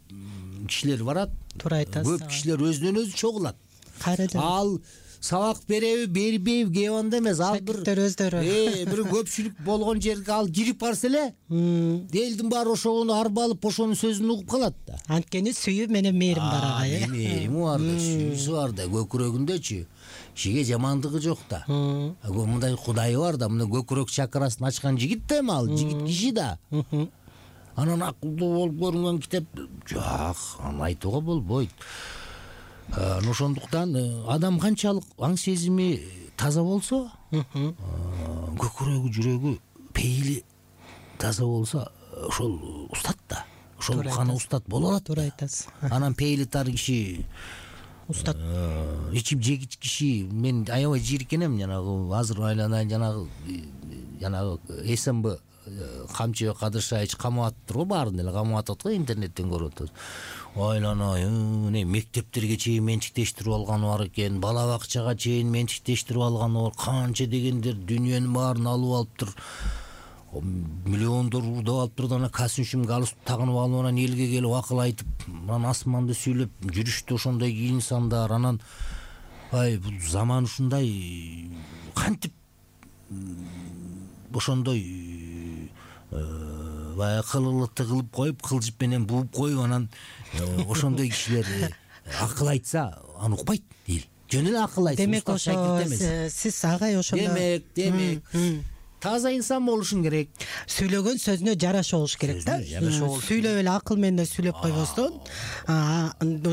кишилер барат. Туура айтасыз. Көп кишилер өзүнөн өзү чогулат. Кайрадан ал сабак береби, бербейби, кеп анда эмес, ал бир өздөрү. Э, бир көпчүлүк болгон жерге ал кирип барса эле, элдин баары ошону арбалып, ошонун сөзүн угуп калат да. Анткени сүйүү менен мээрим бар ага, э. Мээрими бар да, сүйүүсү бар да, көкүрөгүндөчү. Кишиге жамандыгы жок да. Мындай Кудайы бар да, мына көкүрөк чакрасын ачкан жигит да эми ал, жигит киши да. Анан акылдуу болуп көрүнгөн китеп жок, аны айтууга болбойт. Ошондуктан адам канчалык аң сезими таза болсо, көкүрөгү, жүрөгү, пейили таза болсо, ошол устат да. Ошол гана устат боло алат. Туура айтасыз. Анан пейили тар киши, устат, ичип жегич киши, мен аябай жийиркенем жанагы азыр айланайын жанагы жанагы СМБ Камчыбек Кадыршаевич камап атыптыр го, баарын эле камап атат го, интернеттен көрүп атат. Айланайын, мектептерге чейин менчиктештирип алганы бар экен, бала бакчага чейин менчиктештирип алганы бар, канча дегендер дүйнөнүн баарын алып алыптыр. Миллиондор урдап алыптыр да, ана костюм галстук тагынып алып, анан элге келип акыл айтып, анан асманды сүйлөп жүрүштү ошондой инсандар. Анан ай, бул заман ушундай, кантип ошондой баягы кылылыкты кылып коюп, кылжып менен бууп коюп, анан ошондой кишилер акыл айтса, аны укпайт эл. Жөн эле акыл айтса, демек ошо сиз агай ошондо демек, демек таза инсан болушуң керек. Сүйлөгөн сөзүнө жараша болуш керек да. Сөзүнө жараша болуш Сүйлөп эле акыл менен сүйлөп койбостон,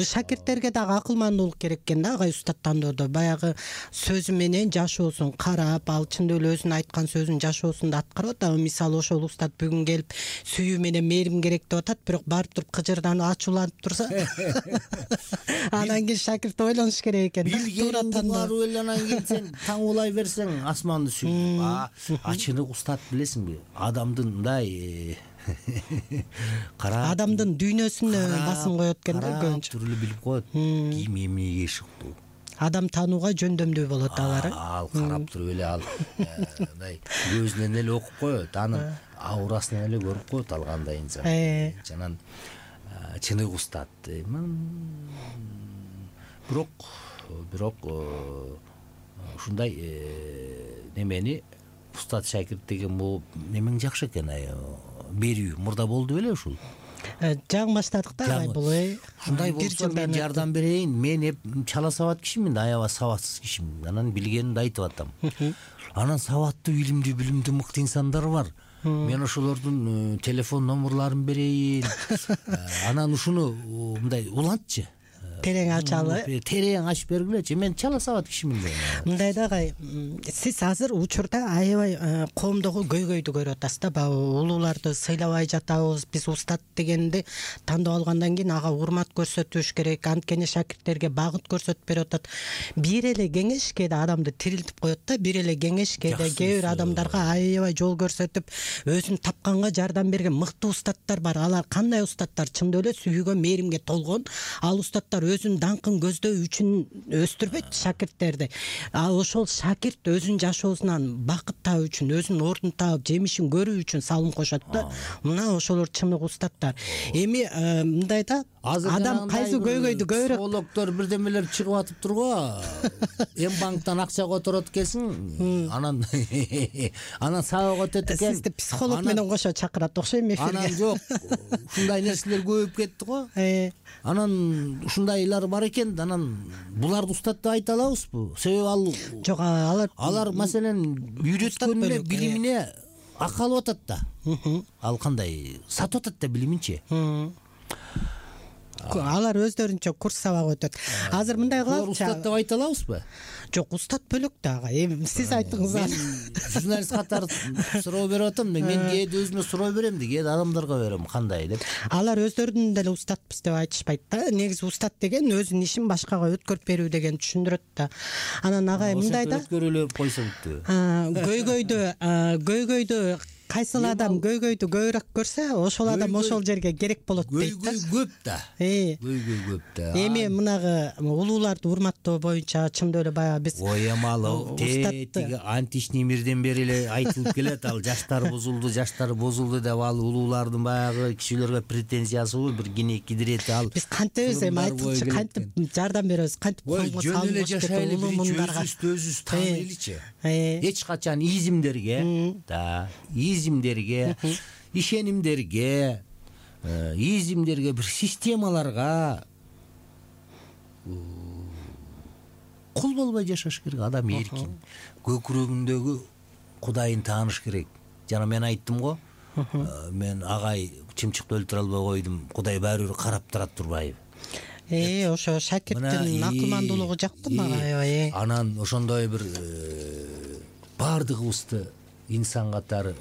шакирттерге дагы акылмандуулук керек экен да, агай устаттандырды. Баягы сөзү менен жашоосун карап, ал чындап эле өзүнүн айткан сөзүн жашоосунда аткарып атат. Мисалы ошол устат бүгүн келип сүйүү менен мээрим керек деп атат, бирок барып туруп кыжырданып ачууланып турса, анан кийин шакирт ойлонуш керек экен. Билгениңди барып эле анан кийин сен таң улай берсең асманды сүйүп. Ачынык устат билесиңби? Адамдын мындай кара адамдын дүйнөсүнө басым коет экен да көбүнчө. Түрлүү билип коет. Кийим эмнеге ишиктүү. Адам таанууга жөндөмдүү болот алар. Ал карап туруп эле ал мындай көзүнөн эле окуп коет, анын аурасынан эле көрүп коет ал кандай инсан. Жанан чынык устат. Бирок бирок ушундай немени устат шакирт деген бул немең жакшы экен, берүү мурда болду беле ушул. Жаңы баштадык да бул. Ушундай болсо мен жардам берейин. Мен эп чала сабат кишимин, аябай сабатсыз кишимин. Анан билгенимди айтып атам. Анан сабаттуу, илимдүү, билимдүү мыкты инсандар бар. Мен ошолордун телефон номерларын берейин. Анан ушуну мындай улантчы. Терең ачалы. Терең ачып бергилечи. Мен чала сабат кишимин. Мындай дагы сиз азыр учурда аябай коомдогу көйгөйдү көрүп атасыз да. Баягы улууларды сыйлабай жатабыз. Биз устат дегенди тандап алгандан кийин ага урмат көрсөтүш керек. Анткени шакирттерге багыт көрсөтүп берип атат. Бир эле кеңеш кээде адамды тирилтип коет да. Бир эле кеңеш кээде кээ бир адамдарга аябай жол көрсөтүп, өзүн тапканга жардам берген мыкты устаттар бар. Алар кандай устаттар? Чындап эле сүйүүгө, мээримге толгон. Ал устаттар өзүнүн даңкын көздөй үчүн өстүрбөйт шакирттерди. Ал ошол шакирт өзүнүн жашоосунан бакыт таап үчүн, өзүнүн ордун таап, жемишин көрүү үчүн салым кошот да. Мына ошолор чынык устаттар. Эми мындай да, адам кайсы көйгөйдү көбүрөөк психологдор бирдемелер чыгып атыптыр го. Эм банктан акча которот экенсиң, анан анан сабак өтөт экен. Сизди психолог менен кошо чакырат окшойм эфирге. Анан жок, ушундай нерселер көбөйүп кетти го. Анан ушундайлар бар экен. Анан буларды устат деп айта алабызбы? Себеби ал жок, алар алар маселен үйрөткөнүнө, билимине акы алып атат да. Ал кандай сатып атат да билиминчи. Алар өздөрүнчө курс сабак өтөт. Азыр мындай кылабыз. Устат деп айта алабызбы? Жок, устат бөлөк дагы. Эми сиз айттыңыз. Мен журналист катары суроо берип атам. Мен кээде өзүмө суроо берем да, кээде адамдарга берем кандай деп. Алар өздөрүн деле устатпыз деп айтышпайт да. Негизи устат деген өзүнүн ишин башкага өткөрүп берүү деген түшүндүрөт да. Анан агай мындай да. Өткөрүлүп койсо бүттү. Көйгөйдү, көйгөйдү кайсыл адам көйгөйдү көбүрөөк көрсө, ошол адам ошол жерге керек болот дейт да. Көйгөй көп да. Көйгөй көп да. Эми мынагы улууларды урматтоо боюнча чындап эле баягы биз Оямалов тетиги античный мирден бери эле айтылып келет. Ал жаштар бузулду, жаштар бузулду деп ал улуулардын баягы кишилерге претензиясы бир кине кидирет. Ал биз кантебиз эми айтылчы, кантип жардам беребиз, кантип колго салып эле жашайлы, өзүбүз тааныйлычы. Эч качан изимдерге да, изимдерге, ишенимдерге, изимдерге, бир системаларга кул болбой жашаш керек. Адам эркин, көкүрөгүндөгү Кудайын тааныш керек. Жана мен айттым го, мен агай чымчыкты өлтүрө албай койдум, Кудай баары бир карап турат турбайбы? Э, ошо шакирттин акылмандуулугу жакты мага аябай. Анан ошондой бир баардыгыбызды инсан катары,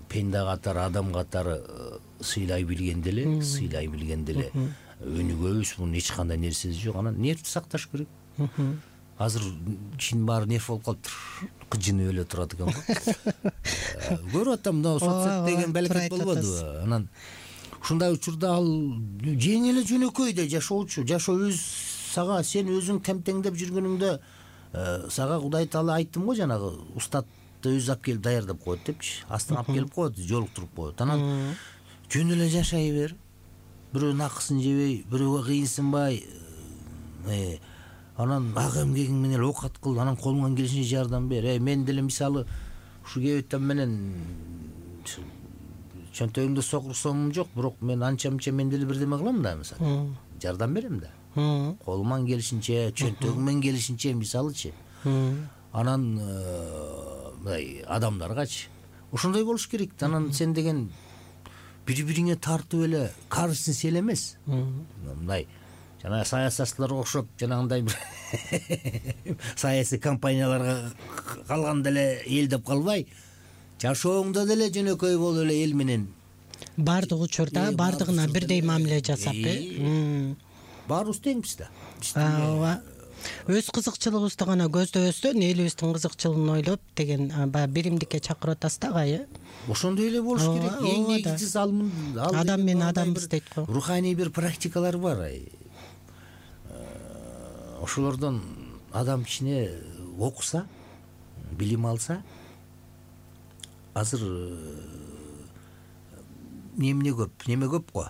пенде катары, адам катары сыйлай билгенде эле, сыйлай билгенде эле өнүгөбүз. Мунун эч кандай нерсеси жок. Анан нервти сакташ керек. Азыр кишинин баары нерв болуп калыптыр. Кыжынып эле турат экен го. Көрүп атам, мына соцсет деген балекет болбодубу? Анан ушундай учурда ал жеңил эле жөнөкөйдө жашоочу. Жашоо өз сага, сен өзүң темтеңдеп жүргөнүңдө сага Кудай Таала айттым го, жанагы устатты өзү алып келип даярдап коет депчи. Астына алып келип коет, жолуктуруп коет. Анан жөн эле жашай бер. Бирөөнүн акысын жебей, бирөөгө кыйынсынбай, анан ак эмгегиң менен оокат кыл, анан колуңан келишинче жардам бер. Мен деле мисалы ушу кебеттен менен чөнтөгүмдө сокур сомум жок, бирок мен анча-мынча мен деле бирдеме кылам да, мисалы. Жардам берем да. Колуман келишинче, чөнтөгүмөн келишинче, мисалычы. анан мындай адамдаргачы ошондой болуш керек. Анан сен деген бири бириңе тартып эле каршысын сел эмес. Мындай жана саясатчыларга окшоп жанагындай бир саясий компанияларга калганда эле эл деп калбай, жашооңдо деле жөнөкөй болуп эле эл менен баардык учурда баардыгына бирдей мамиле жасап э баарыбыз теңбиз да. ооба. Өз кызыкчылыгыбызды гана көздөбөстөн элибиздин кызыкчылыгын ойлоп деген баягы биримдикке чакырып атасыз да агай. Ошондой эле болуш керек. Эң негизгиси ал адам менен адамбыз дейт го. Руханий бир практикалар бар. Ошолордон адам кичине окуса, билим алса, азыр неме көп, неме көп го.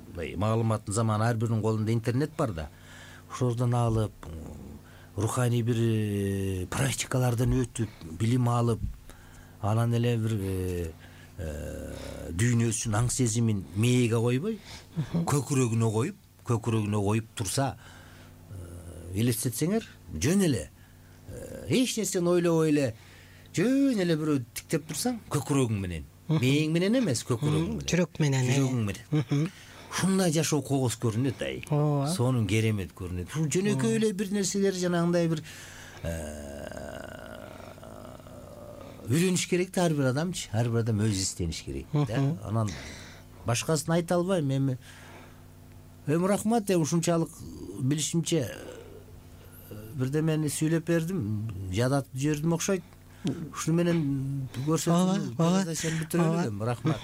Мындай маалыматтын заманы, ар биринин колунда интернет бар да. Ошолордон алып, руханий бир практикалардан өтүп, билим алып, анан эле бир дүйнөсүн, аң сезимин мээге койбой, көкүрөгүнө коюп, көкүрөгүнө коюп турса, элестетсеңер, жөн эле эч нерсени ойлобой эле жөн эле бирөө тиктеп турсаң, көкүрөгүң менен, мээң менен эмес, көкүрөгүң менен, жүрөк менен, жүрөгүң менен. Ушундай жашоо когос көрүнөт ай. Сонун керемет көрүнөт. Ушул жөнөкөй эле бир нерселер жанагындай бир үйрөнүш керек да ар бир адамчы. Ар бир адам өзү издениш керек да. Анан башкасын айта албайм эми. Эми рахмат, ушунчалык билишимче бирдемени сүйлөп бердим, жадатып жибердим окшойт. Ушуну менен көрсөтүп бүтүрөлү элем. Рахмат.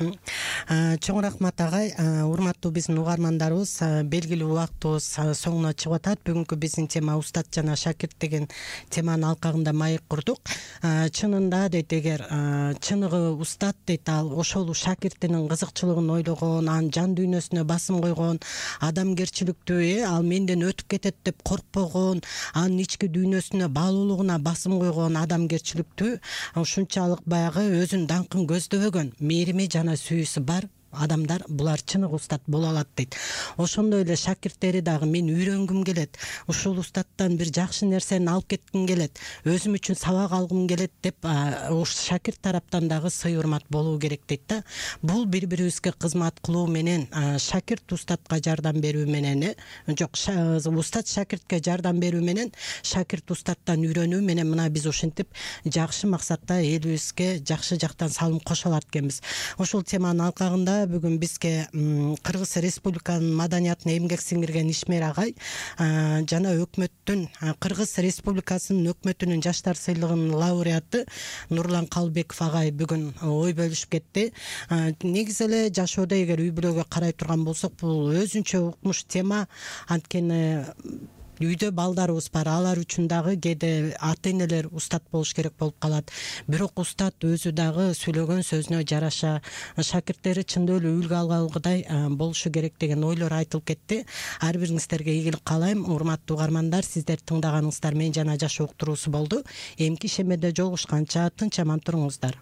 Чоң рахмат агай. Урматтуу биздин угармандарыбыз, белгилүү убактыбыз соңуна чыгып атат. Бүгүнкү биздин тема устат жана шакирт деген теманын алкагында маек курдук. Чынында дейт, эгер чыныгы устат дейт, ал ошол шакиртинин кызыкчылыгын ойлогон, анын жан дүйнөсүнө басым койгон, адамгерчиликтүү, ал менден өтүп кетет деп коркпогон, анын ички дүйнөсүнө баалуулугуна басым койгон адамгерчиликтүү, ушунчалык баягы өзүнүн даңкын көздөбөгөн, мээрими жана сүйүүсү бар адамдар, булар чыныгы устат боло алат дейт. Ошондой эле шакирттери дагы мен үйрөнгүм келет, ушул устаттан бир жакшы нерсени алып кетким келет, өзүм үчүн сабак алгым келет деп шакирт тараптан дагы сый урмат болуу керек дейт да. Бул бири-бирибизге кызмат кылуу менен, шакирт устатка жардам берүү менен, жок, устат шакиртке жардам берүү менен, шакирт устаттан үйрөнүү менен мына биз ушинтип жакшы максатта элибизге жакшы жактан салым кошо алат экенбиз. Ошол теманын алкагында бүгүн бизге Кыргыз Республиканын маданиятына эмгек сиңирген ишмер агай жана өкмөттүн, Кыргыз Республикасынын өкмөтүнүн жаштар сыйлыгынын лауреаты Нурлан Калбеков агай бүгүн ой бөлүшүп кетти. Негизи эле жашоодо эгер үй бүлөгө карай турган болсок, бул өзүнчө укмуш тема. Анткени үйдө балдарыбыз бар, алар үчүн дагы кээде ата энелер устат болуш керек болуп калат. Бирок устат өзү дагы сүйлөгөн сөзүнө жараша шакирттери чындап эле үлгү алгандай болушу керек деген ойлор айтылып кетти. Ар бириңиздерге ийгилик каалайм. Урматтуу угармандар, сиздер тыңдаганыңыздар Мен жана жашоо уктуруусу болду. Эмки ишемеде жолугушканча тынч аман туруңуздар.